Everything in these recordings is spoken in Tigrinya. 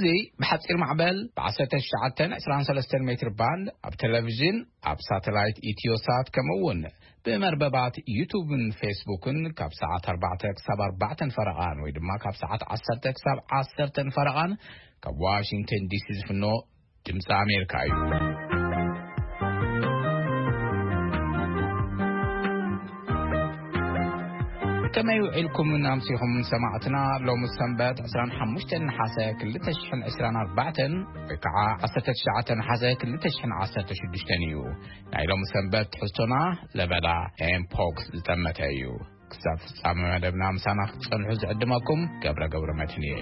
እዚ ብሓጺር ማዕበል ብ19 23 ሜትር ባንድ ኣብ ቴሌቪዥን፣ ኣብ ሳተላይት ኢትዮሳት፣ ከምኡ እውን ብመርበባት ዩቱብን ፌስቡክን ካብ ሰዓት ኣርባዕተ ክሳብ ኣርባዕተን ፈረቓን ወይ ድማ ካብ ሰዓት ዓሰርተ ክሳብ ዓሰርተን ፈረቓን ካብ ዋሽንግተን ዲሲ ዝፍኖ ድምፂ ኣሜሪካ እዩ። ከመይ ውዒልኩምን ኣምሲኹም ሰማዕትና? ሎሚ ሰንበት ዕስራን ሓሙሽተን ነሓሰ ክልተ ሽሕን ዕስራን ኣርባዕተን ወይ ከዓ ዓሰርተ ትሽዓተ ነሓሰ ክልተ ሽሕን ዓሰርተ ሽዱሽተን እዩ። ናይ ሎሚ ሰንበት ትሕዝቶና ለበዳ ኤምፖክስ ዝጠመተ እዩ። ክሳብ ፍጻመ መደብና ምሳና ክትጸንሑ ዝዕድመኩም ገብረ ገብረ መድህን እየ።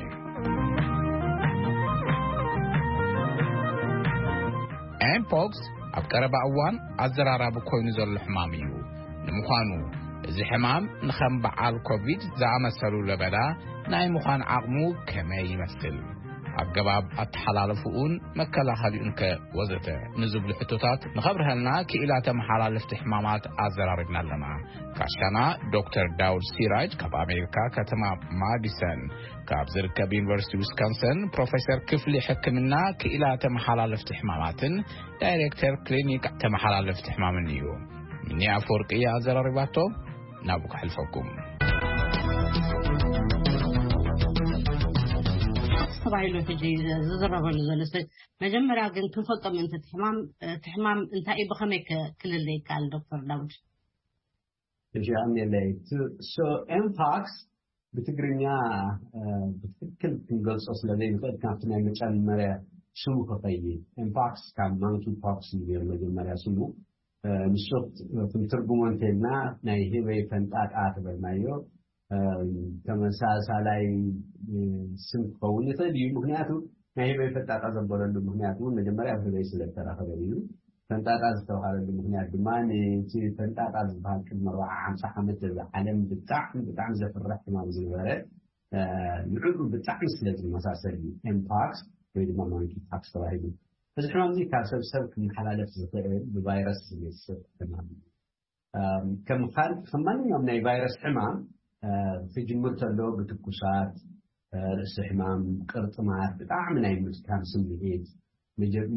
ኤምፖክስ ኣብ ቀረባ እዋን ኣዘራራቢ ኮይኑ ዘሎ ሕማም እዩ። ንምዃኑ፣ እዚ ሕማም ንኸም በዓል ኮቪድ ዝኣመሰሉ ለበዳ ናይ ምዃን ዓቕሙ ከመይ ይመስል? ኣገባብ ኣተሓላለፍኡን መከላኸሊኡን ከ ወዘተ ንዝብሉ ሕቶታት ንኸብርሀልና ክኢላ ተመሓላለፍቲ ሕማማት ኣዘራሪብና ኣለና። ጋሻና ዶክተር ዳውድ ሲራጅ ካብ ኣሜሪካ ከተማ ማዲሰን ካብ ዝርከብ ዩኒቨርሲቲ ዊስካንሰን ፕሮፌሰር ክፍሊ ሕክምና ክኢላ ተመሓላለፍቲ ሕማማትን ዳይሬክተር ክሊኒክ ተመሓላለፍቲ ሕማምን እዩ። ሚኒ ኣፈወርቂ እያ ኣዘራሪባቶ። ናብኡ ከሕልፈኩም። ተባሂሉ ሕጂ ዝዝረበሉ ዘሎ። መጀመርያ ግን ክንፈልጦ ምእንቲ እቲ ሕማም፣ እቲ ሕማም እንታይ እዩ፣ ብኸመይ ከ ክልለ ይከኣል? ዶክተር ዳውድ። እሺ ኣሜለይ። So ኤምፓክስ ብትግርኛ ብትክክል ክንገልጾ ስለ ዘይንኽእል ካብቲ ናይ መጨመርያ ስሙ ክኸይድ። ኤምፓክስ ካብ ማንኪ ፖክስ እዩ መጀመርያ ስሙ። ንሱ ክንትርጉሞ እንተልና ናይ ህበይ ፈንጣጣ ተበልናዮ። ተመሳሳላይ ስም ክኸውን ይኽእል እዩ። ምክንያቱ ናይ ህበይ ፈንጣጣ ዘበለሉ ምክንያት እውን መጀመርያ ኣብ ህበይ ስለ ዝተረኸበ እዩ። ፈንጣጣ ዝተባሃለሉ ምክንያት ድማ ነቲ ፈንጣጣ ዝበሃል ቅድሚ ኣርባዓ ሓምሳ ዓመት ኣብ ዓለም ብጣዕሚ ብጣዕሚ ዘፍርሕ ሕማም ዝነበረ ንዕኡ ብጣዕሚ ስለ ዝመሳሰል እዩ ኤምፓክስ ወይ ድማ ማንኪ ፓክስ ተባሂሉ። እዚ ሕማም እዚ ካብ ሰብ ሰብ ክመሓላለፍ ዝኽእል ብቫይረስ ዝመጽእ ሕማም እዩ። ከም ካልእ ከም ማንኛውም ናይ ቫይረስ ሕማም ክጅምር ከሎ ብትኩሳት፣ ርእሲ ሕማም፣ ቅርጥማት፣ ብጣዕሚ ናይ ምድካም ስምዒት፣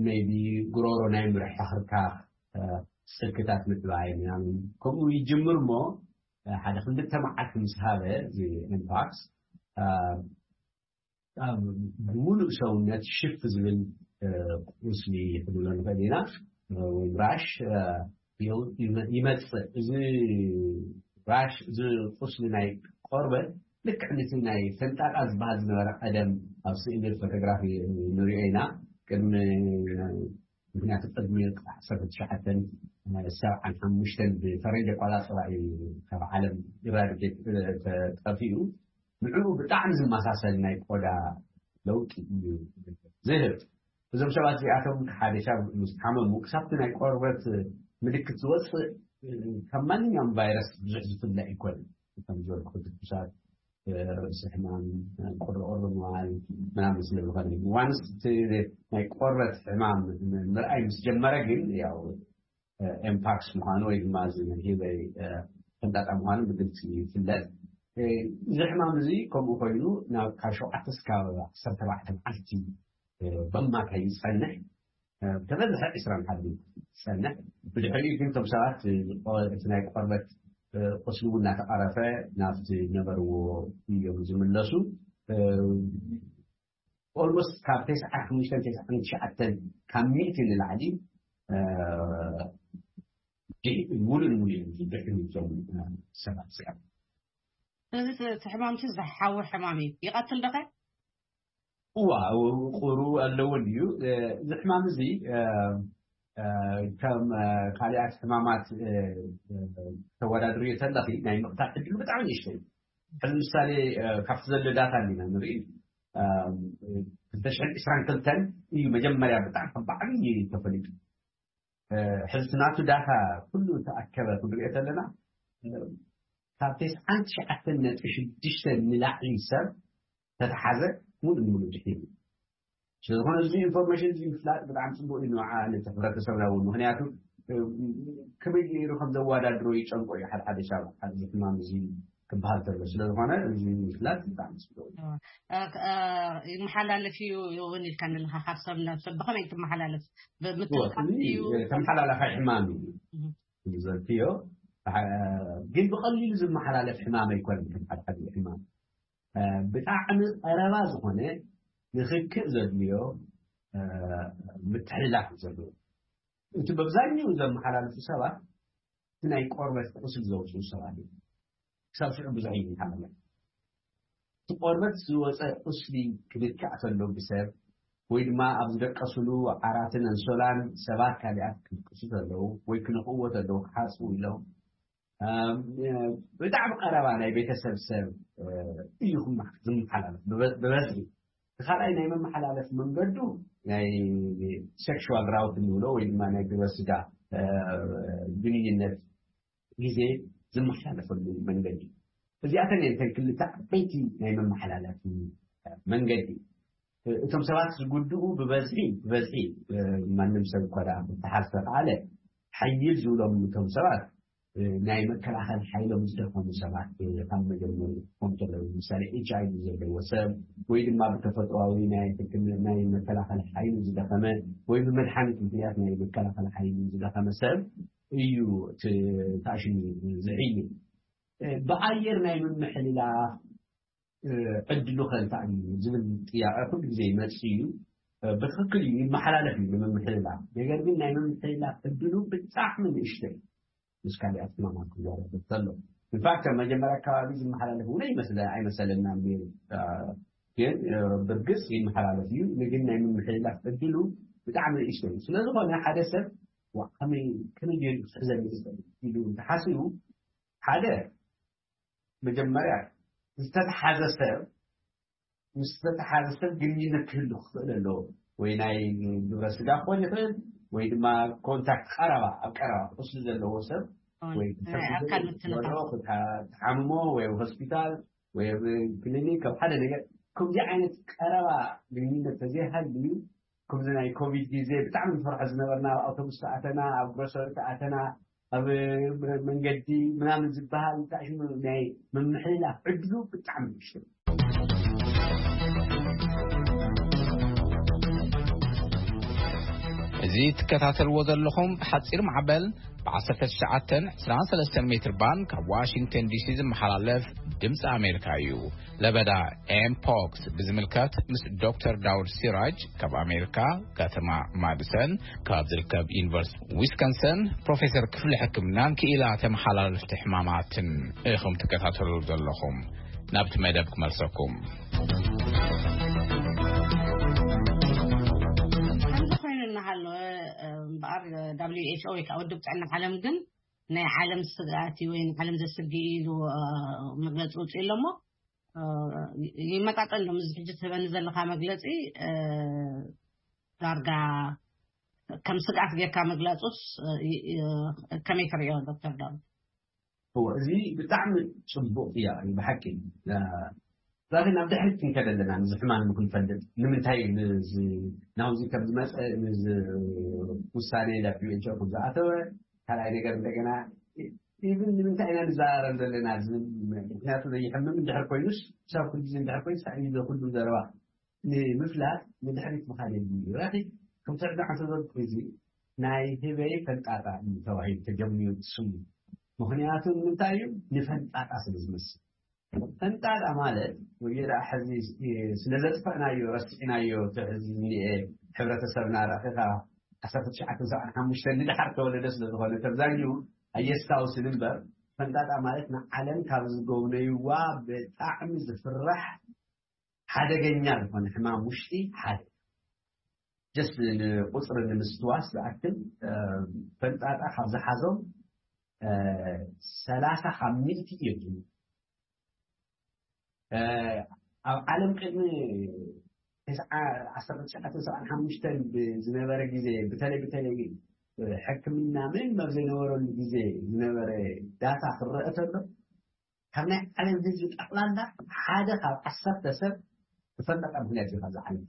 maybe ጉሮሮ ናይ ምርሕኽርካኽ፣ ስልክታት ምዕባይ ምናምን ከምኡ ይጅምር እሞ ሓደ ክልተ መዓልቲ ምስ ሃበ እዚ ኤምፓክስ ብሙሉእ ሰውነት ሽፍ ዝብል ቁስሊ ክንብሎ ንኽእል ኢና። ወይ ራሽ ይመፅእ። እዚ ራሽ እዚ ቁስሊ ናይ ቆርበት ልክዕ ነቲ ናይ ፈንጣጣ ዝበሃል ዝነበረ ቀደም ኣብ ስእሊ ፎቶግራፊ ንሪኦ ኢና። ቅድሚ ምክንያቱ ቅድሚ ዓሰርተ ትሽዓተ ሰብዓን ሓሙሽተን ብፈረንጂ ኣቆፃፅራ እዩ ካብ ዓለም ኢራዲኬት ተጠፊኡ። ንዕኡ ብጣዕሚ ዝመሳሰል ናይ ቆዳ ለውጢ እዩ ዝህብ። እዞም ሰባት እዚኣቶም ሓደ ሰብ ምስ ሓመሙ ክሳብቲ ናይ ቆርበት ምልክት ዝወፅእ ካብ ማንኛውም ቫይረስ ብዙሕ ዝፍለ ኣይኮነን። ከም ዝበልኩ ትኩሳት፣ ርእሲ ሕማም፣ ቁርቁር ምባል ምናምን ስለ ዝኾነ ዋንስ እቲ ናይ ቆርበት ሕማም ምርኣይ ምስ ጀመረ ግን ያው ኤምፓክስ ምዃኑ ወይ ድማ እዚ ናይ ህበይ ፈንጣጣ ምዃኑ ብግልፂ ይፍለጥ። እዚ ሕማም እዚ ከምኡ ኮይኑ ናብ ካብ ሸውዓተ እስካብ ዓሰርተ ኣርባዕተ መዓልቲ በማካይ ይፀንሕ። ተበዝሐ ዕስራን ሓደ ዝፀንሕ። ብድሕሪኡ ግን እቶም ሰባት እቲ ናይ ቆርበት ቁስሊ እውን እናተቐረፈ ናብቲ ነበርዎ እዮም ዝምለሱ። ኦልሞስት ካብ ተስዓን ሓሙሽተን ተስዓን ትሽዓተን ካብ ሚእቲ ንላዕሊ ሙሉእ ንሙሉእ ድሕሪ እዞም ሰባት እዚኦም። እዚ እቲ ሕማምቲ ዝሓዊ ሕማም እዩ። ይቐትል ዶኸ? እዋ ቁሩ ኣለዎ እዩ። እዚ ሕማም እዚ ከም ካልኣት ሕማማት ተወዳድርዮ ተለኺ ናይ ምቕታል ዕድሉ ብጣዕሚ ንእሽቶ እዩ። ሕዚ ምሳሌ ካብቲ ዘሎ ዳታ እንዲና ንርኢ ክልተ ሽሕን ዕስራን ክልተን እዩ መጀመርያ ብጣዕሚ ከም ብዓብዪ ተፈሊጡ። ሕዚ ናቱ ዳታ ኩሉ ተኣከበ ክንሪኦ ከለና ካብ ተስዓን ትሽዓተን ነጥቢ ሽዱሽተ ንላዕሊ ሰብ ተተሓዘ ሙሉእ ንሙሉእ ድሒኑ። ስለዝኾነ እዚ ኢንፎርሜሽን እዚ ምፍላጥ ብጣዕሚ ፅቡቅ እዩ ንዓ ነቲ ሕብረተሰብና እውን። ምክንያቱ ከመይ ገይሩ ከም ዘወዳድሮ ይጨንቆ እዩ። ሓደ ሓደ ሰብ ኣብዚ ሕማም እዚ ክበሃል ተሎ ስለ ዝኾነ እዚ ምፍላጥ ብጣዕሚ ጽቡቅ እዩ። ይመሓላለፍ እዩ እውን ኢልካ ኣለካ። ካብ ሰብ ናብ ሰብ ብኸመይ ትመሓላለፍ? ብምትልቃፍ እዩ? ተመሓላላፋይ ሕማም እዩ። ዘልክዮ ግን ብቐሊሉ ዝመሓላለፍ ሕማም ኣይኮነን። ከም ሓድሓደ ሕማም ብጣዕሚ ቀረባ ዝኾነ ንክክእ ዘድልዮ ምትሕልላፍ እዩ ዘለዎ። እቲ በብዛኛው ዘመሓላልፉ ሰባት ናይ ቆርበት ቁስል ዘውፅኡ ሰባት እዮም። ክሳብ ሽዑ ብዙሕ ይመሓላለፍ። እቲ ቆርበት ዝወፀ ቁስሊ ክልካእ ተሎ ብሰብ ወይ ድማ ኣብ ዝደቀስሉ ዓራትን ኣንሶላን ሰባት ካሊኣት ክድቅሱ ተለዉ ወይ ክነኽእዎ ተለዉ ክሓፅቡ ኢሎም ብጣዕሚ ቀረባ ናይ ቤተሰብ ሰብ እዩ ዝመሓላለፍ ብበዝሒ። ካልኣይ ናይ መመሓላለፍ መንገዱ ናይ ሴክሽዋል ራውት እንብሎ ወይ ድማ ናይ ግብረ ስጋ ግንኙነት ግዜ ዝመሓላለፈሉ መንገዲ። እዚኣተን እየን እተን ክልተ ዓበይቲ ናይ መመሓላለፊ መንገዲ። እቶም ሰባት ዝጉድኡ ብበዝሒ ብበዝሒ ማንም ሰብ እኳ ደኣ ክተሓዝ ተኸኣለ ሓይል ዝብሎም እቶም ሰባት ናይ መከላኸል ሓይሎም ዝደኸሙ ሰባት ካብ መጀመሪ ክኾኑ ከለዉ ምሳሌ ኤች ኣይ ቪ ዘለዎ ሰብ ወይ ድማ ብተፈጥሯዊ ናይ ሕክምና ናይ መከላኸል ሓይሉ ዝደኸመ ወይ ብመድሓኒት ምክንያት ናይ መከላኸል ሓይሉ ዝደኸመ ሰብ እዩ ተኣሽሙ ዝሕይል። ብኣየር ናይ ምምሕልላፍ ዕድሉ ከ እንታይ እዩ ዝብል ጥያቄ ኩሉ ግዜ ይመጽእ እዩ። ብትክክል እዩ ይመሓላለፍ እዩ ንምምሕልላፍ። ነገር ግን ናይ ምምሕልላፍ ዕድሉ ብጣዕሚ ንእሽቶ እዩ። ምስ ካሊኣት ሕማማት ክዛረብ ከሎ ኢንፋክት ኣብ መጀመርያ ኣካባቢ ዝመሓላለፍ እውን ኣይመስለ ኣይመሰለና ነይሩ። ግን ብርግጽ ይመሓላለፍ እዩ። ግን ናይ ምምሕልላፍ ዕድሉ ብጣዕሚ ንእሽቶ እዩ። ስለዝኾነ ሓደ ሰብ ከመይ ከመይ ገይሩ ክሕዘኒ ይኽእል ኢሉ እንተሓሲቡ ሓደ መጀመርያ ዝተተሓዘ ሰብ ምስ ዝተተሓዘ ሰብ ግንኙነት ክህሉ ክኽእል ኣለዎ። ወይ ናይ ግብረ ስጋ ክኾን ይኽእል ወይ ድማ ኮንታክት ቀረባ ኣብ ቀረባ ቁስሊ ዘለዎ ሰብ ወይ ክትሓምሞ ወይ ኣብ ሆስፒታል ወይ ኣብ ክሊኒክ ኣብ ሓደ ነገር ከምዚ ዓይነት ቀረባ ግንኙነት ተዘይሃልዩ ከምዚ ናይ ኮቪድ ግዜ ብጣዕሚ ንፈርሖ ዝነበርና ኣብ ኣውቶቡስ ተኣተና ኣብ ግሮሰሪ ተኣተና ኣብ መንገዲ ምናምን ዝበሃል እንታይ ሽሙ ናይ ምምሕልላፍ ዕድሉ ብጣዕሚ ንእሽቶ። እዚ ትከታተልዎ ዘለኹም ብሓፂር ማዕበል ብ19 23 ሜትር ባንድ ካብ ዋሽንግተን ዲሲ ዝመሓላለፍ ድምፂ ኣሜሪካ እዩ። ለበዳ ኤምፖክስ ብዝምልከት ምስ ዶክተር ዳውድ ሲራጅ ካብ ኣሜሪካ ከተማ ማድሰን ካብ ዝርከብ ዩኒቨርሲቲ ዊስኮንሰን ፕሮፌሰር ክፍሊ ሕክምናን ክኢላ ተመሓላለፍቲ ሕማማትን ኢኹም ትከታተሉ ዘለኹም። ናብቲ መደብ ክመልሰኩም። ከምዚ ኮይኑ እናሃለወ እምበኣር ደብሊው ኤች ኦ ወይ ከዓ ውድብ ጥዕና ዓለም ግን ናይ ዓለም ስግኣት እዩ ወይ ንዓለም ዘስግእ እዩ ኢሉ መግለፂ ውፅኡ ኣሎ እሞ ይመጣጠን ዶ? እዚ ሕጂ ትህበኒ ዘለካ መግለፂ ዳርጋ ከም ስግኣት ጌርካ ምግላፁስ ከመይ ትሪኦ ዶክተር ዳዊት? እዎ እዚ ብጣዕሚ ፅቡቅ ጥያቄ እዩ ብሓቂ። ዛሬ ናብ ድሕሪት ክንከድ ኣለና ነዚ ሕማም ንክንፈልጥ ንምንታይ ናብዚ ከም ዝመፀ ውሳኔ ዳብሊው ኤች ኦ ከም ዝኣተወ ካልኣይ ነገር እንደገና ኢቭን ንምንታይ ኢና ንዘራረብ ዘለና ዝብል ምክንያቱ ዘይሕምም እንድሕር ኮይኑስ ክሳብ ኩሉ ግዜ እንድሕር ኮይኑ ሳዕ ኩሉ ዘረባ ንምፍላጥ ንድሕሪት ምኻድ የድሊ እዩ። ራኺ ከምቲ ሕጂ ዓንተ ዘልኩ እዚ ናይ ህበይ ፈንጣጣ እዩ ተባሂሉ ተጀሚሩ ስሙ። ምኽንያቱ ንምንታይ እዩ? ንፈንጣጣ ስለ ዝመስል። ፈንጣጣ ማለት ወይ ደኣ ሕዚ ስለ ዘጥፈእናዮ ረሲዕናዮ እቲ ሕዚ ዝኒኤ ሕብረተሰብና ረኺኻ ዓሰርተ ትሽዓተ ሰብዓን ሓሙሽተን ንድሓር ተወለደ ስለ ዝኾነ ተብዛኛኡ ኣየስታውስን እምበር ፈንጣጣ ማለት ንዓለም ካብ ዝጎብነይዋ ብጣዕሚ ዝፍራሕ ሓደገኛ ዝኾነ ሕማም ውሽጢ ሓደ ጀስት ንቁፅሪ ንምስትዋስ ዝኣክል ፈንጣጣ ካብ ዝሓዞም ሰላሳ ካብ ሚእቲ እዮም። ኣብ ዓለም ቅድሚ ዓሰርተ ትሽዓተ ሰብዓን ሓሙሽተን ዝነበረ ግዜ ብተለይ ብተለይ ሕክምና ምንም ኣብ ዘይነበረሉ ግዜ ዝነበረ ዳታ ክረአ ተሎ ካብ ናይ ዓለም ህዝቢ ጠቕላላ ሓደ ካብ ዓሰርተ ሰብ ብፈንጣጣ ምክንያት እዩ ካብዚ ዓለም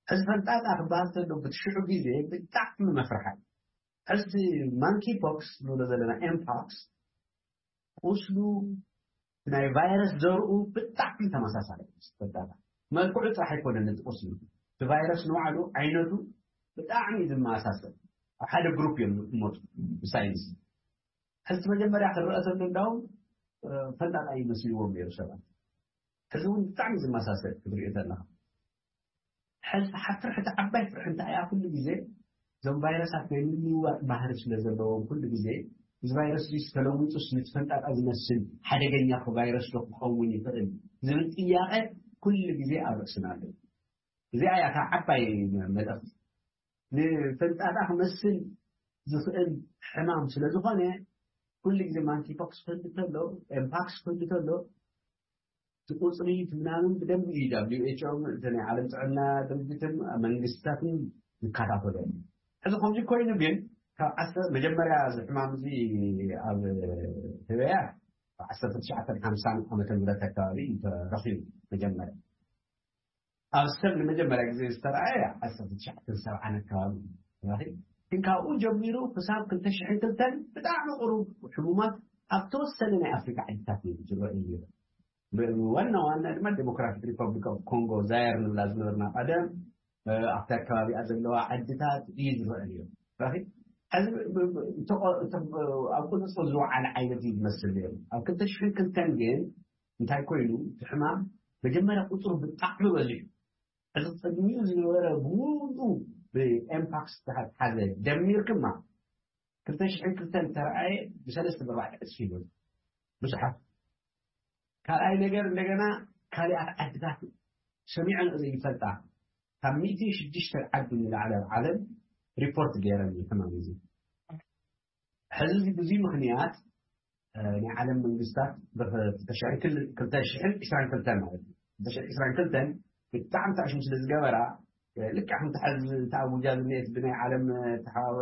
ሕዚ ፈንጣጣ ክበሃል ተሎ ብትሽዑ ግዜ ብጣዕሚ መፍርሓ ሕዚ ማንኪ ፖክስ ንብሎ ዘለና ኤምፖክስ ቁስሉ ናይ ቫይረስ ዘርኡ ብጣዕሚ ተመሳሳሊ። መልክዑ ጥራሕ ኣይኮነን እቲ ቁስሉ፣ እቲ ቫይረስ ንባዕሉ ዓይነቱ ብጣዕሚ ዝመሳሰል። ኣብ ሓደ ግሩፕ እዮም ዝመፁ ብሳይንስ። ሕዚ መጀመርያ ክረአ ተሎ እንዳውም ፈንጣጣ ይመስልዎም ነይሩ ሰባት። ሕዚ እውን ብጣዕሚ ዝመሳሰል ክትሪኦ ተለካ። ሕዚ ሓፍርሕቲ ዓባይ ፍርሒ እንታይ እያ? ኩሉ ግዜ እዞም ቫይረሳት ናይ ምልውዋጥ ባህሪ ስለ ዘለዎም ኩሉ ግዜ እዚ ቫይረስ እዚ ተለዊጡስ ነቲ ፈንጣጣ ዝመስል ሓደገኛ ቫይረስ ዶ ክኸውን ይኽእል ዝብል ጥያቐ ኩሉ ግዜ ኣብ ርእስና ኣሎ። እዚኣ እያ እታ ዓባይ መልእኽቲ። ንፈንጣጣ ክመስል ዝኽእል ሕማም ስለ ዝኾነ ኩሉ ግዜ ማንኪፖክስ ክህሉ ተሎ፣ ኤምፓክስ ክህሉ ተሎ እቲ ቁፅሪ እቲ ምናምን ብደንብ እዩ ደብሊው ኤች ኦ እቲ ናይ ዓለም ጥዕና ድርጅትን መንግስታትን ይከታተሎ። ሕዚ ከምዚ ኮይኑ ግን ካብ ዓሰርተ መጀመርያ እዚ ሕማም እዚ ኣብ ህበያ ዓሰርተ ትሽዓተ ሓምሳን ዓመተ ምህረት ኣካባቢ እዩ ተረኺቡ። መጀመርያ ኣብ ሰብ ንመጀመርያ ግዜ ዝተረኣየ ዓሰርተ ትሽዓተ ሰብዓን ኣካባቢ ግን ካብኡ ጀሚሩ ክሳብ ክልተ ሽሕን ክልተን ብጣዕሚ ቁሩብ ሕሙማት ኣብ ተወሰነ ናይ ኣፍሪካ ዓድታት እዩ ዝረአ እዩ። ዋና ዋና ድማ ዴሞክራቲክ ሪፐብሊክ ኦፍ ኮንጎ ዛየር ንብላ ዝነበርና ቀደም ኣብቲ ኣከባቢኣ ዘለዋ ዓድታት እዩ ዝረአ ነይሩ። ሕዚ ኣብ ቁፅፅር ዝወዓለ ዓይነት እዩ ዝመስል ነይሩ። ኣብ ክልተ ሽሕን ክልተን ግን እንታይ ኮይኑ እቲ ሕማም መጀመርያ ቁፅሩ ብጣዕሚ በዚሑ። እዚ ቅድሚኡ ዝነበረ ብሙሉ ብኤምፓክስ ዝተሓዘ ደሚርክማ ክልተ ሽሕን ክልተን ተረኣየ ብሰለስተ ብኣርባዕተ ዕፅፊ ይበሉ ብዙሓት። ካልኣይ ነገር እንደገና ካሊኣት ዓድታት ሰሚዐን ዘይፈልጣ ካብ ሚእቲ ሽዱሽተ ዓዲ ንላዕሊ ኣብ ዓለም ሪፖርት ገይረን እዩ ሕማም እዚ። ሕዚ እዚ ብዙይ ምክንያት ናይ ዓለም መንግስታት ብክልተ ሽሕን ዕስራን ክልተን ማለት እዩ። ክልተ ሽሕን ዕስራን ክልተን ብጣዕሚ ታሽሙ ስለ ዝገበራ ልክዕ ከምቲ ሕዚ ተኣውጃ ዝኒኤት ብናይ ዓለም ተሓባበ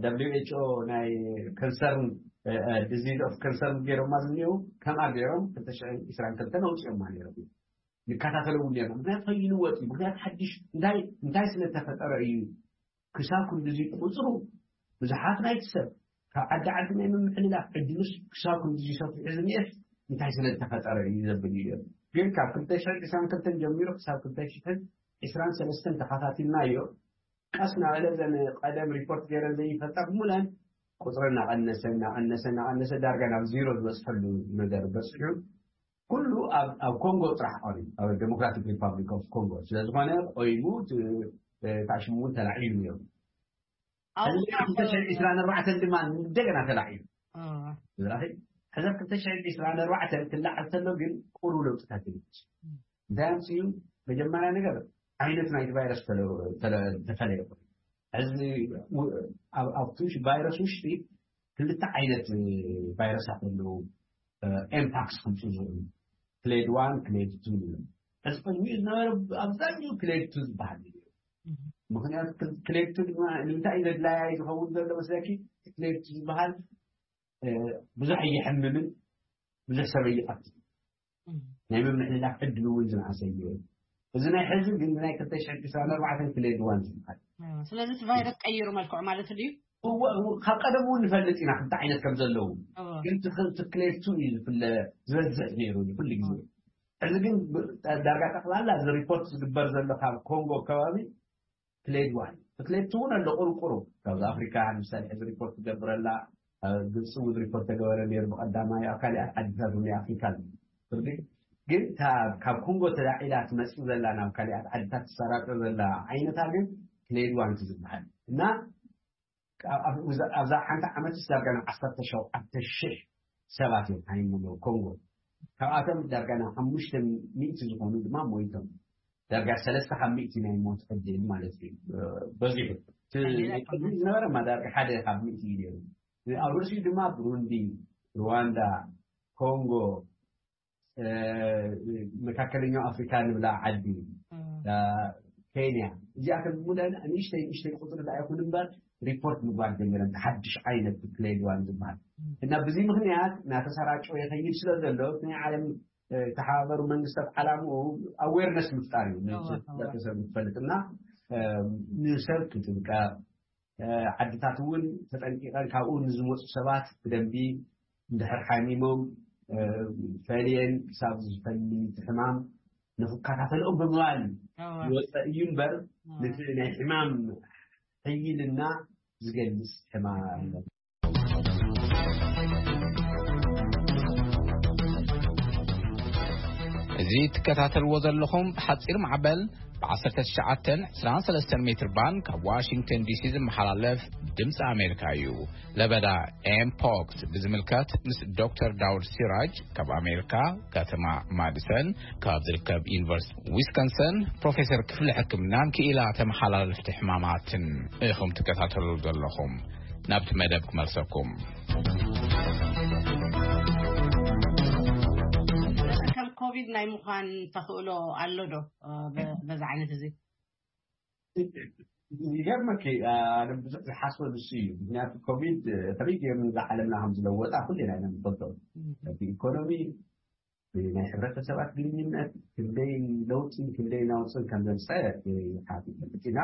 ደብሊው ኤች ኦ ናይ ከንሰርን ዲዚዝ ኦፍ ከንሰርን ገይሮማ ዝኒው ከምኣ ገይሮም ክልተ ሽሕን ዕስራን ክልተን ኣውፅኦማ ነይሮም። ንከታተሎ እውን ነርና። ምክንያቱ ከይልወጥ እዩ። ምክንያቱ ሓድሽ እንታይ እንታይ ስለ ተፈጠረ እዩ ክሳብ ክንድዚ ቁፅሩ ብዙሓት ናይቲ ሰብ ካብ ዓዲ ዓዲ ናይ ምምሕልላፍ ዕድሉስ ክሳብ ክንድዚ ሰፊሑ ዝኒኤስ እንታይ ስለ ዝተፈጠረ እዩ ዘብል እዩ። ግን ካብ ክልተ ሽሕን ዕስራን ክልተን ጀሚሩ ክሳብ ክልተ ሽሕን ዕስራን ሰለስተን ተኸታቲልናዮ። ቀስ እናበለ ዘን ቀደም ሪፖርት ገይረን ዘይፈልጣ ብሙለን ቁፅሪ እናቐነሰ እናቐነሰ እናቐነሰ ዳርጋ ናብ ዜሮ ዝበፅሐሉ ነገር በፂሑ። ኩሉ ኣብ ኣብ ኮንጎ ጥራሕ ቀርዩ ኣብ ዴሞክራቲክ ሪፓብሊክ ኦፍ ኮንጎ ስለ ዝኾነ ቆይሙ እቲ ታሽሙ እውን ተላዒሉ ነይሩ። ሕዚ ክልተ ሽሕን ዕስራን ኣርባዕተን ድማ እንደገና ተላዒሉ። ሕዚ ኣብ ክልተ ሽሕን ዕስራን ኣርባዕተን ክላዓል ተሎ ግን ቁሩብ ለውጥታት ይምፅእ። እንታይ ኣምፅኡ? መጀመርያ ነገር ዓይነት ናይቲ ቫይረስ ተፈለየ። ሕዚ ኣብቲ ቫይረስ ውሽጢ ክልተ ዓይነት ቫይረሳት ኣለዉ። ኤምፓክስ ከምፅኡ ዝኽእሉ ክሌድ ዋን ክሌድ ቱ። ሕዚ ቅድሚኡ ዝነበረ ኣብዛኛው ክሌድ ቱ ዝበሃል እዩ። ምክንያቱ ክሌድ ቱ ድማ ንምንታይ እዩ ዘድላያይ ዝኸውን ዘሎ መስለኪ? ክሌድ ቱ ዝበሃል ብዙሕ እየሕምምን ብዙሕ ሰብ እየቐትል ናይ ምምሕልላፍ ዕድሉ እውን ዝነኣሰ እዩ። እዚ ናይ ሕዚ ግን ናይ ክልተ ሽሕን ዕስራን ኣርባዕተን ክሌድ ዋን ዝበሃል። ስለዚ እቲ ቫይረስ ቀይሩ መልክዑ ማለት ድዩ? ካብ ቀደም እውን ንፈልጥ ኢና ክልተ ዓይነት ከም ዘለዉ። ግን ክሌድ ቱ እዩ ዝፍለ ዝበዝሕ ነይሩ ኩሉ ግዜ። ሕዚ ግን ዳርጋ ጠቕላላ እዚ ሪፖርት ዝግበር ዘሎ ካብ ኮንጎ ከባቢ ክሌድ ዋን ክሌድ ቱ እውን ኣሎ ቁርቁሩ። ካብ ኣፍሪካ ንምሳሌ ሕዚ ሪፖርት ትገብረላ ግብፂ እውን ሪፖርት ተገበረ ነይሩ ብቀዳማይ ኣብ ካሊኣት ዓድታት እውን ኣፍሪካ ፍርዲ ግን ካብ ኮንጎ ተላዒላ ትመፅእ ዘላ ናብ ካሊኣት ዓድታት ትሰራጮ ዘላ ዓይነታ ግን ክሌድ ዋን ዝበሃል እና ኣብዛ ሓንቲ ዓመት ዳርጋ ናብ ዓሰርተ ሸውዓተ ሽሕ ሰባት እዮም ሃይሞም ኮንጎ። ካብኣቶም ዳርጋ ናብ ሓሙሽተ ሚእቲ ዝኾኑ ድማ ሞይቶም። ዳርጋ ሰለስተ ካብ ሚእቲ ናይ ሞት ዕድል ማለት እዩ በዚሑ። ዝነበረ ማ ዳርጋ ሓደ ካብ ሚእቲ እዩ ነይሩ። ኣብ ርእሲኡ ድማ ብሩንዲ፣ ሩዋንዳ፣ ኮንጎ፣ መካከለኛው ኣፍሪካ ንብላ ዓዲ፣ ኬንያ፣ እዚኣተን ብሙሉአን ንእሽተይ ንእሽተይ ቁፅሪ ዳ ይኹን እምበር ሪፖርት ምግባር ጀሚረን ሓድሽ ዓይነት ክሌድ ዋን ዝበሃል እና ብዚ ምክንያት እናተሰራጨወ ይኸይድ ስለ ዘሎ ናይ ዓለም ተሓባበሩ መንግስታት ዓላምኡ ኣዌርነስ ምፍጣር እዩ። ሕብረተሰብ ክትፈልጥ እና ንሰብ ክጥንቀቕ ዓድታት እውን ተጠንቂቐን ካብኡ ንዝመፁ ሰባት ብደንቢ እንድሕር ሓሚሞም፣ እ፣ ፈልየን ክሳብ ዝፈሊ እቲ ሕማም ንኽከታተልኦም ብምባል እዩ ዝወፀ እዩ እምበር፣ ነቲ ናይ ሕማም ሕይልና ዝገልፅ ሕማም። እዚ ትከታተልዎ ዘለኹም ብሓፂር ማዕበል ብ19 23 ሜትር ባንድ ካብ ዋሽንግተን ዲሲ ዝመሓላለፍ ድምፂ ኣሜሪካ እዩ። ለበዳ ኤምፖክስ ብዝምልከት ምስ ዶክተር ዳውድ ሲራጅ ካብ ኣሜሪካ ከተማ ማዲሰን ካብ ዝርከብ ዩኒቨርሲቲ ዊስኮንሰን ፕሮፌሰር ክፍሊ ሕክምናን ክኢላ ተመሓላለፍቲ ሕማማትን ኢኹም ትከታተሉ ዘለኹም። ናብቲ መደብ ክመልሰኩም። ከም ኮቪድ ናይ ምዃን ተኽእሎ ኣሎ ዶ? በዚ ዓይነት እዚ ይገርመኪ፣ ኣነ ብዙሕ ዝሓስበ ንሱ እዩ። ምክንያቱ ኮቪድ ከመይ ገይሩ ንዛ ዓለምና ከም ዝለወጣ ኩልና ኢና ንፈልጦ። ብኢኮኖሚ፣ ብናይ ሕብረተሰባት ግንኙነት ክንደይ ለውጥን ክንደይ ናውፅን ከም ዘምፀ ይሓፍጥ ኢና።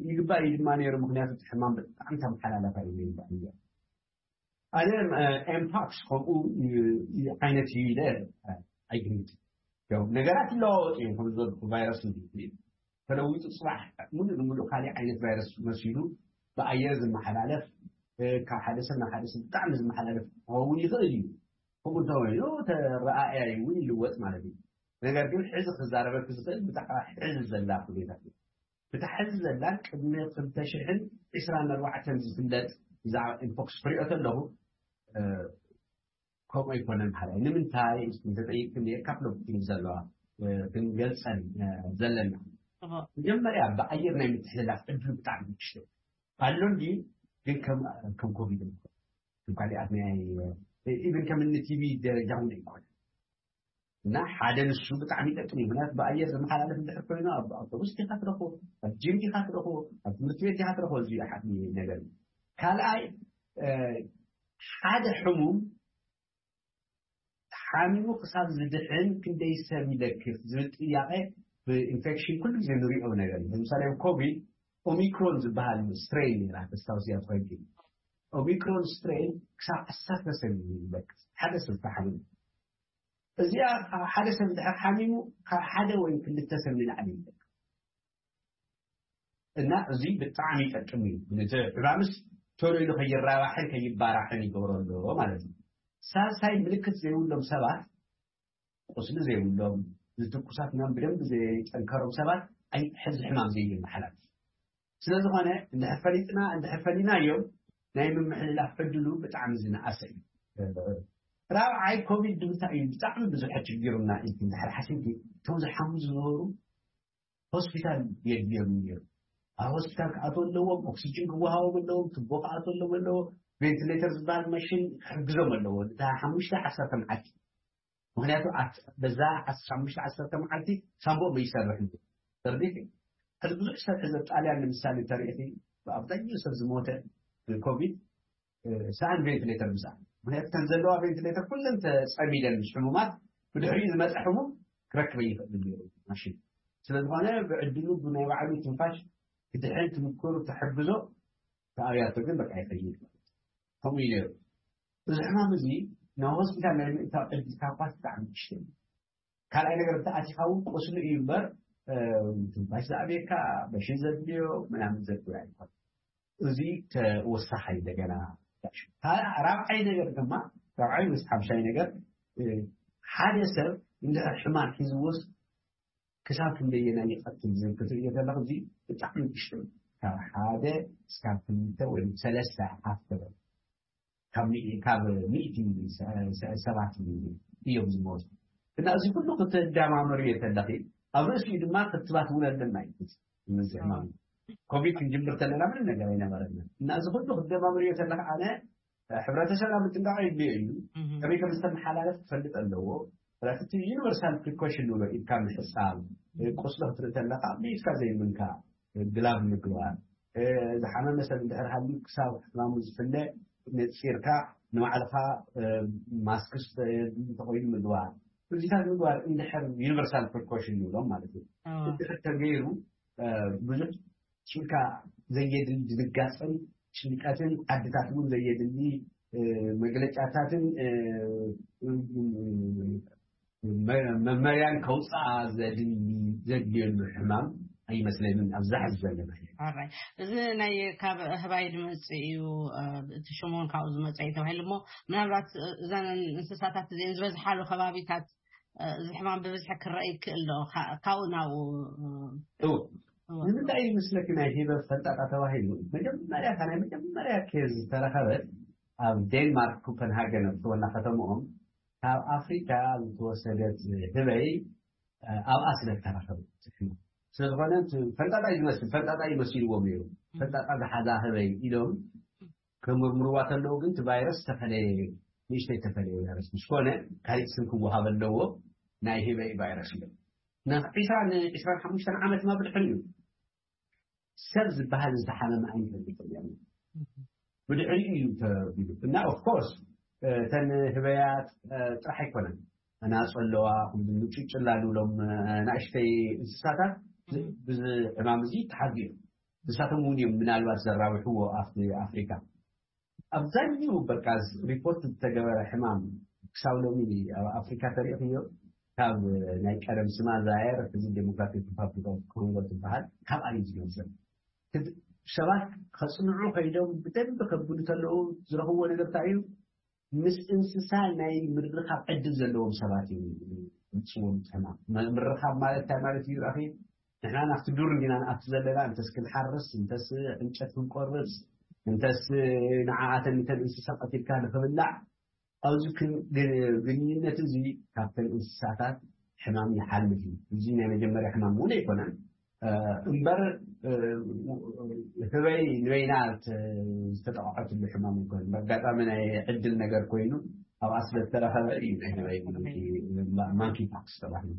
ይግባእ እዩ ድማ ነይሩ። ምክንያቱ እቲ ሕማም ብጣዕሚ ተመሓላለፋ እዩ ነይሩ። ኣነ ኤምፓክስ ከምኡ ዓይነት እዩ ኢለ ኣይግምት። ነገራት ይለዋወጡ እዮም። ከም ዝበልኩ ቫይረስ ተለዊጡ ፅባሕ ሙሉእ ንሙሉእ ካሊእ ዓይነት ቫይረስ መሲሉ ብኣየር ዝመሓላለፍ፣ ካብ ሓደ ሰብ ናብ ሓደ ሰብ ብጣዕሚ ዝመሓላለፍ ክኸውን ይኽእል እዩ። ከምኡ እንተኮይኑ ተረኣእያ እውን ይልወጥ ማለት እዩ። ነገር ግን ሕዚ ክዛረበክ ዝኽእል ብዛዕባ ሕዚ ዘላ ኩነታት እዩ። ብታ ሕዚ ዘላ ቅድሚ ክልተ ሽሕን ዕስራን ኣርባዕተን ዝፍለጥ ብዛዕባ ኢምፖክስ ክሪኦ ከለኹ ከምኡ ኣይኮነን ሓላይ። ንምንታይ እንተጠይቅክኒ የካፍለኩም ዘለዋ ክንገልፀን ዘለና። መጀመርያ ብኣየር ናይ ምትሕልላፍ ዕድሉ ብጣዕሚ ንእሽቶ ኣሎ እንዲ ግን ከም ኮቪድ ከም ካሊኣት ናይ ኢቨን ከም እኒ ቲቪ ደረጃ እውን ኣይኮነ እና ሓደ ንሱ ብጣዕሚ ይጠቅም እዩ። ምክንያቱ ብኣየር ዝመሓላለፍ እንድሕር ኮይኑ ኣብ ኣውቶቡስ ዲካ ትረኽቦ፣ ኣብ ጂም ዲካ ትረኽቦ፣ ኣብ ትምህርቲ ቤት ዲካ ትረኽቦ። እዚ ሓቂ ነገር እዩ። ካልኣይ ሓደ ሕሙም ሓሚሙ ክሳብ ዝድሕን ክንደይ ሰብ ይለክፍ ዝብል ጥያቄ ብኢንፌክሽን ኩሉ ግዜ ንሪኦ ነገር እዩ። ለምሳሌ ኮቪድ ኦሚክሮን ዝበሃል ስትሬን ነራ ተስታውስ እያ ትኾይድ። ኦሚክሮን ስትሬን ክሳብ ዓሰርተ ሰብ ይለክፍ ሓደ ሰብ ተሓሚሙ። እዚኣ ሓደ ሰብ ድሕር ሓሚሙ ካብ ሓደ ወይ ክልተ ሰብ ንላዕሊ ይለክፍ። እና እዚ ብጣዕሚ ይጠቅም እዩ። ነቲ ሕማምስ ቶሎ ኢሉ ከይራባሕን ከይባራሕን ይገብሮ ኣሎ ማለት እዩ። ሳልሳይ ምልክት ዘይብሎም ሰባት፣ ቁስሊ ዘይብሎም፣ ዝትኩሳት ምናምን ብደንብ ዘይጠንከሮም ሰባት ኣይ ሕዚ ሕማም ዘይመሓላፍ ስለ ዝኾነ እንድሕር ፈሊጥና እንድሕር ፈሊናዮም ናይ ምምሕልላፍ ዕድሉ ብጣዕሚ ዝነኣሰ እዩ። ራብዓይ ኮቪድ ድምታ እዩ ብጣዕሚ ብዙሕ ችግሩና ኢልክ እንድሕር ሓሲብኪ እቶም ዝሓሙ ዝነበሩ ሆስፒታል የድልዮም ነይሩ። ኣብ ሆስፒታል ክኣትዎ ኣለዎም፣ ኦክሲጅን ክወሃቦም ኣለዎም፣ ትቦ ክኣትዎ ኣለዎም ኣለዎ፣ ቬንቲሌተር ዝበሃል ማሽን ክሕግዞም ኣለዎ። እታ ሓሙሽተ ዓሰርተ መዓልቲ ምክንያቱ በዛ ሓሙሽተ ዓሰርተ መዓልቲ ሳንቦኦም ይሰርሕ እዩ። ተርዲት ሕዚ ብዙሕ ሰብ ሕዚ ኣብ ጣልያን ንምሳሌ ተሪእኺ ብኣብዛኛው ሰብ ዝሞተ ብኮቪድ ሰኣን ቬንቲሌተር ምስኣን ምክንያቱ ተን ዘለዋ ቬንቲሌተር ኩለን ተፀሚደን ምስ ሕሙማት ብድሕሪኡ ዝመፀ ሕሙም ክረክበ ይኽእል ነይሩ ማሽን ስለዝኾነ ብዕድሉ ብናይ ባዕሉ ትንፋሽ ክድሕን ትምክሩ ተሕግዞ ተኣብያቶ ግን በቃ ይኸይድ ከምኡ እዩ ነይሩ። እዚ ሕማም እዚ ናብ ሆስፒታል ናይ ምእታው ዕድልካ እኳ ብጣዕሚ ንእሽተይ እዩ። ካልኣይ ነገር እንተኣቲኻ እውን ቁስሊ እዩ እምበር ትንፋሽ ዝኣብየካ በሽን ዘድልዮ ምናምን ዘድልዮ ኣይኮን። እዚ ተወሳኻይ እንደገና ራብዓይ ነገር ድማ ራብዓይ ምስ ሓምሻይ ነገር ሓደ ሰብ እንድሕር ሕማም ሒዝዎስ ክሳብ ክንደየናይ ይቐትል ዝብል ክትርእዮ ከለኻ እዚ ብጣዕሚ ንእሽቶ እዩ። ካብ ሓደ እስካብ ክልተ ወይ ሰለስተ ሓፍ ትበል ካብ ሚእ- ካብ ሚእቲ ሰ- ሰ- ሰባት እዮም ዝሞቱ እና እዚ ኩሉ ክትደማመርዮ ተለኺ ኣብ ርእሲኡ ድማ ክትባት እውን ኣለና እዩ እዚ ሕማም ኮቪድ ክንጅምር ተለና ምንም ነገር ኣይነበረና እና እዚ ኩሉ ክትደማመርዮ ተለኻ ኣነ ሕብረተሰብና ምጥንቃቕ የድልዮ እዩ። ከመይ ከም ዝተመሓላለፍ ክፈልጥ ኣለዎ። ስለዚ እቲ ዩኒቨርሳል ፕሪኮሽን ንብሎ ኢድካ ምሕጻብ፣ ቁስሊ ክትርኢ ተለኻ ብኢድካ ዘይምንካእ፣ ግላቭ ምግባር፣ ዝሓመመ ሰብ እንድሕር ሃልዩ ክሳብ ሕማሙ ዝፍለ ነጺርካ ንባዕልኻ ማስክስ እንተኾይኑ ምግባር፣ እዚታት ምግባር እንድሕር ዩኒቨርሳል ፕሪኮሽን ንብሎም ማለት እዩ። እንድሕር ተገይሩ ብዙሕ ጭንካ ዘየድሊ ድንጋፀን ጭንቀትን ዓድታት እውን ዘየድሊ መግለጫታትን መመርያን ከውፅኣ ዘድልየሉ ሕማም ኣይመስለንን። ኣብዛ ሕዚ ዘለና እዚ ናይ ካብ ህባይ ዝመፅእ እዩ፣ እቲ ሽሞን ካብኡ ዝመፀ እዩ ተባሂሉ እሞ፣ ምናልባት እዘን እንስሳታት እዚን ዝበዝሓሉ ከባቢታት እዚ ሕማም ብብዝሒ ክረአ ይክእል ዶ? ካብኡ ናብኡ እው ንምንታይ ይመስለኪ ናይ ሂበ ፈንጣጣ ተባሂሉ? መጀመርያ ናይ መጀመርያ ኬዝ ዝተረኸበት ኣብ ዴንማርክ ኮፐንሃገን ኣብ ትወና ከተምኦም ካብ ኣፍሪካ ዝተወሰደት ህበይ ኣብኣ ስለ ዝተረኸበት። ስለዝኾነ ፈንጣጣ እዩ ዝመስል፣ ፈንጣጣ እዩ መሲልዎም ነይሩ። ፈንጣጣ ዝሓዛ ህበይ ኢሎም ክምርምርዋ ተለዉ ግን እቲ ቫይረስ ዝተፈለየ፣ ንእሽተይ ዝተፈለየ ቫይረስ ምስ ኮነ ካሊእ ስም ክወሃበ ኣለዎ። ናይ ህበይ ቫይረስ እዮም። ናብ ዒስራን ዒስራን ሓሙሽተን ዓመት ማ ብድሕሪኡ ሰብ ዝበሃል ዝተሓመመ ኣይንፈልጥን እዮም። ብድሕሪኡ እዩ ተቢሉ እና ኦፍኮርስ እተን ህበያት ጥራሕ ኣይኮነን፣ ኣናፁ ኣለዋ፣ ምጭጭላ ንብሎም ናእሽተይ እንስሳታት ብዚ ሕማም እዚ ተሓዝዩ እዮም። ንሳቶም እውን እዮም ምናልባት ዘራብሕዎ ኣብቲ ኣፍሪካ። ኣብዛኛው በቃ ሪፖርት ዝተገበረ ሕማም ክሳብ ሎሚ ኣብ ኣፍሪካ ተሪእኽዮ ካብ ናይ ቀደም ስማ ዛየር እዚ ዴሞክራቲክ ሪፓብሊክ ኦፍ ኮንጎ ትበሃል ካብኣ እዩ ዝመፅእ። ሰባት ከፅንዑ ከይዶም ብደንብ ከብሉ ተለዉ ዝረኽብዎ ነገር እንታይ እዩ? ምስ እንስሳ ናይ ምርኻብ ዕድል ዘለዎም ሰባት እዩ ምፅዎም ሕማም። ምርኻብ ማለት እንታይ ማለት እዩ? ኣኺ ንሕና ናብቲ ዱር እንዲና ንኣቱ ዘለና፣ እንተስ ክንሓርስ፣ እንተስ ዕንጨት ክንቆርፅ፣ እንተስ ንዓኣተን ንተን እንስሳ ቀቲልካ ንክብላዕ ኣብዚ ግንኙነት እዚ ካብተን እንስሳታት ሕማም ይሓልፍ እዩ። እዚ ናይ መጀመርያ ሕማም እውን ኣይኮነን እምበር ህበይ ንበይና ዝተጠቕዐትሉ ሕማም ኣይኮነን። በጋጣሚ ናይ ዕድል ነገር ኮይኑ ኣብኣ ስለዝተረኸበ እዩ ናይ ህበይ ማንኪ ፓክስ ተባሂሉ።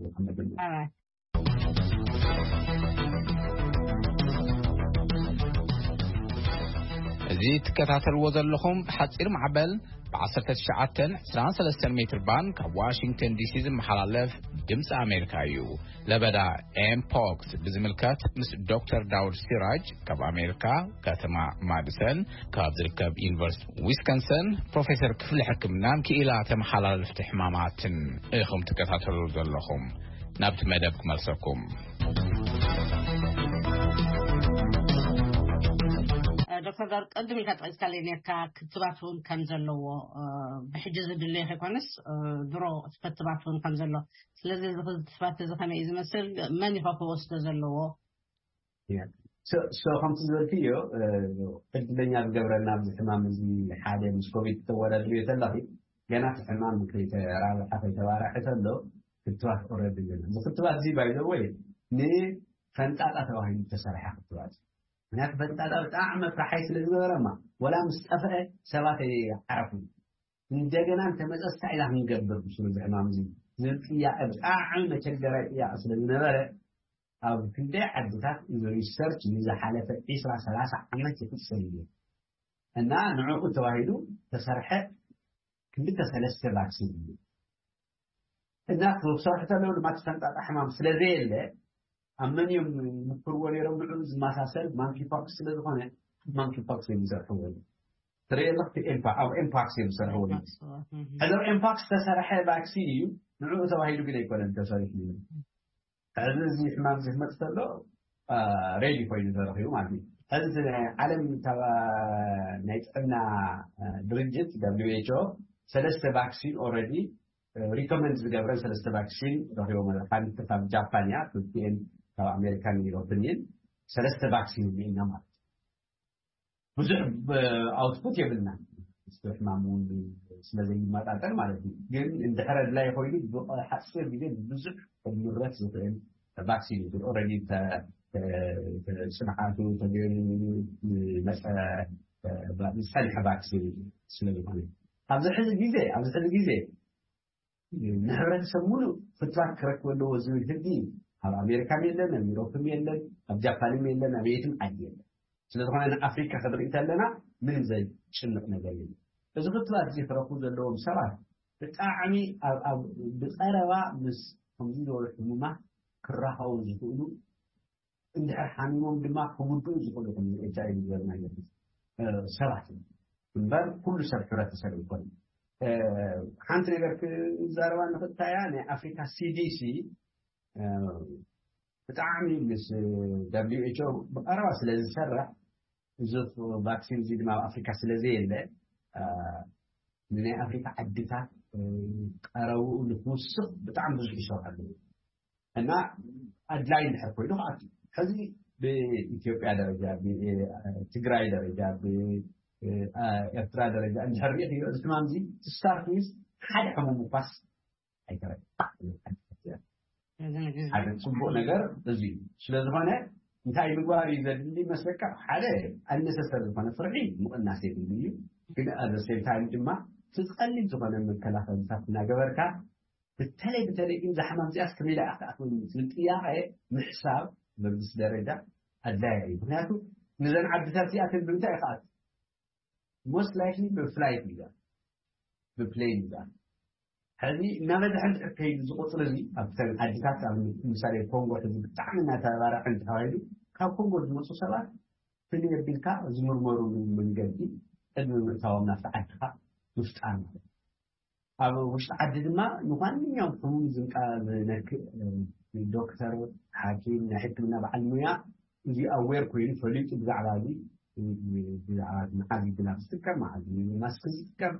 እዚ ትከታተልዎ ዘለኹም ሓፂር ማዕበል ብ19 23 ሜትር ባንድ ካብ ዋሽንግተን ዲሲ ዝመሓላለፍ ድምፂ ኣሜሪካ እዩ። ለበዳ ኤምፖክስ ብዝምልከት ምስ ዶክተር ዳውድ ሲራጅ ካብ ኣሜሪካ ከተማ ማዲሰን ካብ ዝርከብ ዩኒቨርሲቲ ዊስኮንሰን ፕሮፌሰር ክፍሊ ሕክምናን ክኢላ ተመሓላለፍቲ ሕማማትን ኢኹም ትከታተሉ ዘለኹም። ናብቲ መደብ ክመልሰኩም። ዶክተር ዳር ቅድም ኢልካ ጠቂስካለይ ነርካ ክትባት እውን ከም ዘለዎ ብሕጂ ዝድለዮ ከይኮነስ ድሮ ክትባት እውን ከም ዘሎ። ስለዚ እዚ ክትባት እዚ ከመይ እዩ ዝመስል? መን ይኸ ክወስዶ ዘለዎ? ሶ ከምቲ ዝበልክዮ ዕድለኛ ዝገብረና ኣብዚ ሕማም እዚ ሓደ ምስ ኮቪድ ተወዳድርዮ ተለኺ ገና እቲ ሕማም ከይተራብሐ ከይተባርሐ ተሎ ክትባት ኦረዲ ኣለና። እዚ ክትባት እዚ ባይዘወይ ንፈንጣጣ ተባሂሉ ዝተሰርሐ ክትባት እዩ። ምክንያቱ ፈንጣጣ ብጣዕሚ መፍራሓይ ስለ ዝነበረማ ወላ ምስ ጠፍአ ሰባት ኣይዓረፉ። እንደገና እንተመፀ ስታይ ኢና ክንገብር ምስሉ እዚ ሕማም እዚ ዝብል ጥያቄ ብጣዕሚ መቸገራይ ጥያቄ ስለ ዝነበረ ኣብ ክንደይ ዓድታት እዚ ሪሰርች ንዝሓለፈ ዒስራ ሰላሳ ዓመት ይፍፀም እዩ እና ንዕኡ ተባሂሉ ተሰርሐ ክልተ ሰለስተ ቫክሲን እዩ እና ክሰርሑ ተለው ድማ እቲ ፈንጣጣ ሕማም ስለ ዘየለ ኣብ መን እዮም ይምክርዎ ነይሮም ንዕኡ ዝመሳሰል ማንኪ ፖክስ ስለ ዝኾነ ማንኪ ፖክስ እዮም ዝሰርሕዎ። ትርኢ ኣለኽ ኣብ ኤምፓክስ እዮም ዝሰርሕዎ። ሕዚ ኣብ ኤምፓክስ ዝተሰርሐ ቫክሲን እዩ ንዕኡ ተባሂሉ ግን ኣይኮነን ተሰሪሑ። ሕዚ እዚ ሕማም እዚ ክመፅእ ከሎ ሬዲ ኮይኑ ተረኺቡ ማለት እዩ። ሕዚ ናይ ዓለም ናይ ጥዕና ድርጅት ደብሊው ኤች ኦ ሰለስተ ቫክሲን ኦልሬዲ ሪኮመንድ ዝገብረን ሰለስተ ቫክሲን ረኺቦም ኣለዉ። ሓንቲ ካብ ጃፓን እያ፣ ክልቲኤን ካብ ኣሜሪካን ዩሮፕን እየን። ሰለስተ ቫክሲን እኒኤና ማለት እዩ። ብዙሕ ኣውትፑት የብልና፣ ምስቲ ሕማም እውን ስለ ዘይመጣጠር ማለት እዩ። ግን እንድሕር ኣድላይ ኮይኑ ብሓፂር ግዜ ብዙሕ ክምረት ዝኽእል ቫክሲን እዩ። ኦልሬዲ ጽንዓቱ ተገይሩ ዝመፀ ዝፀንሐ ቫክሲን ስለ ዝኾነ ኣብዚ ሕዚ ግዜ ኣብዚ ሕዚ ግዜ ንሕብረተሰብ ሙሉእ ፍትዋት ክረክብ ኣለዎ ዝብል ህጊ ኣብ ኣሜሪካን የለን፣ ኣብ ዩሮፕን የለን፣ ኣብ ጃፓንን የለን፣ ኣብ የትም ዓዲ የለን። ስለዝኾነ ንኣፍሪካ ክንርኢ ተለና ምንም ዘጭንቕ ነገር የለን። እዚ ክትባት እዚ ክረክቡ ዘለዎም ሰባት ብጣዕሚ ኣብ- ኣብ- ብቀረባ ምስ ከምዚ ዝበሉ ሕሙማት ክራኸቡ ዝኽእሉ እንድሕር ሓሚሞም ድማ ክጉድኡ ዝኽእሉ ከም ኤች ኣይ ቪ ዝበልና ሰባት እዮም። እምበር ኩሉ ሰብ ሕብረተሰብ ይኮን። ሓንቲ ነገር ክዛረባ ንኽእልታያ ናይ ኣፍሪካ ሲዲሲ ብጣዕሚ ምስ ደብሊው ኤች ኦ ብቀረባ ስለ ዝሰርሕ፣ እዚ ቫክሲን እዚ ድማ ኣብ ኣፍሪካ ስለ ዘየለ፣ ንናይ ኣፍሪካ ዓድታት ቀረብኡ ንክውስኽ ብጣዕሚ ብዙሕ ይሰርሑ ኣለዉ። እና ኣድላይ እንድሕር ኮይኑ ከኣ፣ ሕዚ ብኢትዮጵያ ደረጃ፣ ብትግራይ ደረጃ፣ ብኤርትራ ደረጃ እንድሕር ሪእኽዮ፣ እዚ ሕማም እዚ ትስታርት ምስ ሓደ ሕሙም እኳስ ኣይተረክብን። ሓደ ጽቡቕ ነገር እዚ እዩ። ስለ ዝኾነ እንታይ ምግባር እዩ ዘድሊ መስለካ? ሓደ ኣነሰሰር ዝኾነ ፍርሒ ምቕናስ የድሊ እዩ። ግን ኣብ ሴም ታይም ድማ እቲ ቀሊል ዝኾነ መከላኸልታት እናገበርካ፣ በተለይ በተለይ ግን ዛሕማም እዚኣስ ከመይ ደኣ ክትኣትወኒ ዝብል ጥያቄ ምሕሳብ በብስ ደረጃ ኣድላይ እዩ። ምክንያቱ ንዘን ዓድታት እዚኣተን ብምንታይ ይኸኣት ሞስት ላይክሊ ብፍላይት እዩ፣ ብፕሌን እዩ። ሕዚ እናበዝሐ እንድሕር ከይዱ እዚ ቁፅሪ እዚ ኣብተን ዓድታት ኣብ ምሳሌ ኮንጎ ሕዚ ብጣዕሚ እናተባራዐ እንተካይዱ ካብ ኮንጎ ዝመፁ ሰባት ፍልይ ኣቢልካ ዝምርመሩሉ መንገዲ ቅድሚ ምእታዎም ናብቲ ዓድኻ ምፍጣር ማለት እዩ። ኣብ ውሽጢ ዓዲ ድማ ንማንኛውም ሕሙም ዝንቃ ዝነክእ ዶክተር፣ ሓኪም፣ ናይ ሕክምና በዓል ሙያ እዚ ኣዌር ኮይኑ ፈሊጡ ብዛዕባ እዚ ብዛዕባ መዓዝ ግላፍ ዝጥቀም መዓዝ ማስክ ዝጥቀም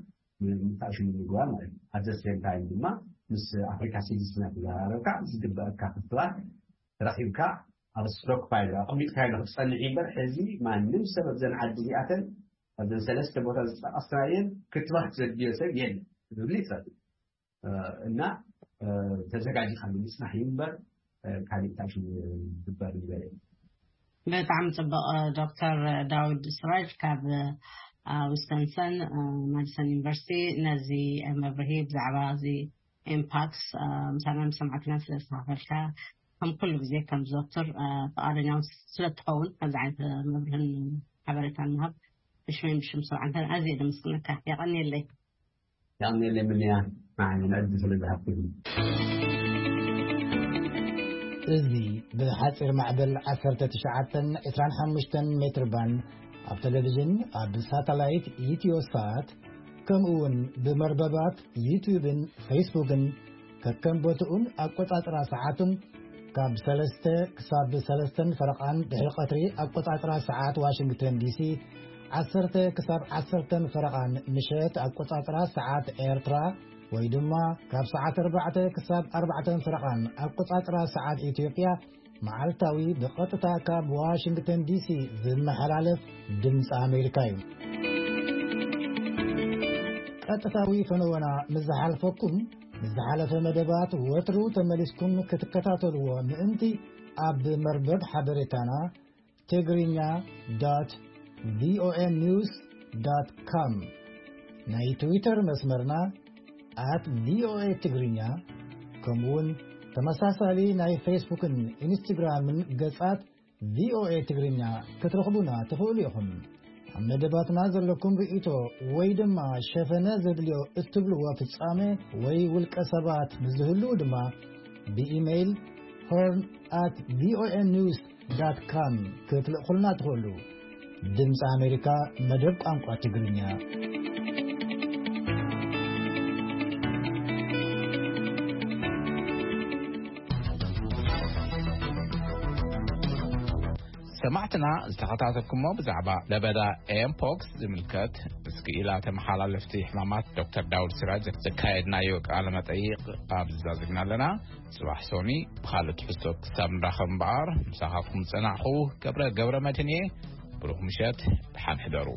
ምታሽሙ ምግባር ማለት እዩ። ኣብ ዘሴም ታይም ድማ ምስ ኣፍሪካ ሲቲዝን እናተዘራረብካ ዝግበአካ ክትባት ረኺብካ ኣብ ስቶክ ፓይል ኣቐሚጥካ ኢሉ ክትፀንሕ እምበር ሕዚ ማንም ሰብ ኣብዘን ዓዲ እዚኣተን ኣብዘን ሰለስተ ቦታ ዝጠቐስናየን ክትባት ዘድልዮ ሰብ የለ ዝብል ይጸል እና ተዘጋጅካ ምምፅናሕ እዩ እምበር ካልእ ታሽሙ ዝግበር ነገር የለ። ብጣዕሚ ፅቡቕ። ዶክተር ዳውድ ስራጅ ካብ ዊስተንሰን ማዲሰን ዩኒቨርሲቲ ነዚ መብርሂ ብዛዕባ እዚ ኢምፓክስ ምሳና ምስ ሰማዕትና ስለ ዝተካፈልካ ከም ኩሉ ግዜ ከም ዘወትር ፍቓደኛ ስለ ትኸውን ከምዚ ዓይነት መብርህን ሓበሬታን ምሃብ ብሽመይ ብሽም ሰብዓንተን ኣዝየ ደመስግነካ። የቐንየለይ። የቐንየለይ ምንያ ንዓይ ንዕድል ስለ ዝሃብኩኒ። እዚ ብሓፂር ማዕበል ዓሰርተ ትሽዓተን ዕስራን ሓሙሽተን ሜትር ባንድ ኣብ ቴሌቪዥን ኣብ ሳተላይት ኢትዮ ሳት ከምኡ እውን ብመርበባት ዩትዩብን ፌስቡክን ከከም ቦትኡን ኣቆጻጽራ ሰዓቱን ካብ ሰለስተ ክሳብ ሰለስተን ፈረቓን ድሕሪ ቀትሪ ኣቆጻጽራ ሰዓት ዋሽንግተን ዲሲ ዓሰርተ ክሳብ ዓሰርተን ፈረቓን ምሸት ኣቆጻጽራ ሰዓት ኤርትራ ወይ ድማ ካብ ሰዓት ኣርባዕተ ክሳብ ኣርባዕተን ፈረቓን ኣቆጻጽራ ሰዓት ኢትዮጵያ መዓልታዊ ብቐጥታ ካብ ዋሽንግተን ዲሲ ዝመሓላለፍ ድምፂ ኣሜሪካ እዩ። ቀጥታዊ ፈነወና ምስ ዝሓልፈኩም ምስ ዝሓለፈ መደባት ወትሩ ተመሊስኩም ክትከታተልዎ ምእንቲ ኣብ መርበብ ሓበሬታና ትግርኛ ዶት ቪኦኤ ኒውስ ዶት ኮም ናይ ትዊተር መስመርና ኣት ቪኦኤ ትግርኛ ከምኡውን ተመሳሳሊ ናይ ፌስቡክን ኢንስትግራምን ገጻት ቪኦኤ ትግርኛ ክትረኽቡና ትኽእሉ ኢኹም። ኣብ መደባትና ዘለኩም ርእይቶ ወይ ድማ ሸፈነ ዘድልዮ እትብልዎ ፍጻሜ ወይ ውልቀ ሰባት ምስ ዝህልዉ ድማ ብኢሜይል ሆርን ኣት ቪኦኤ ኒውስ ዳት ካም ክትልእኹልና ትኽእሉ። ድምፂ ኣሜሪካ መደብ ቋንቋ ትግርኛ። ሰማዕትና ዝተኸታተልኩሞ ብዛዕባ ለበዳ ኤምፖክስ ዝምልከት ምስ ክኢላ ተመሓላለፍቲ ሕማማት ዶክተር ዳውድ ሲራጅ ዘካየድናዮ ቃለ መጠይቕ ኣብዚ ዛዚምና ኣለና። ጽባሕ ሶኒ ብኻልእ ትሕዝቶ ክሳብ ንራኸብ እምበኣር ምሳኻትኩም ዝጸናሕኹ ገብረ ገብረ መድህን እየ። ብሩኽ ምሸት፣ ደሓን ሕደሩ።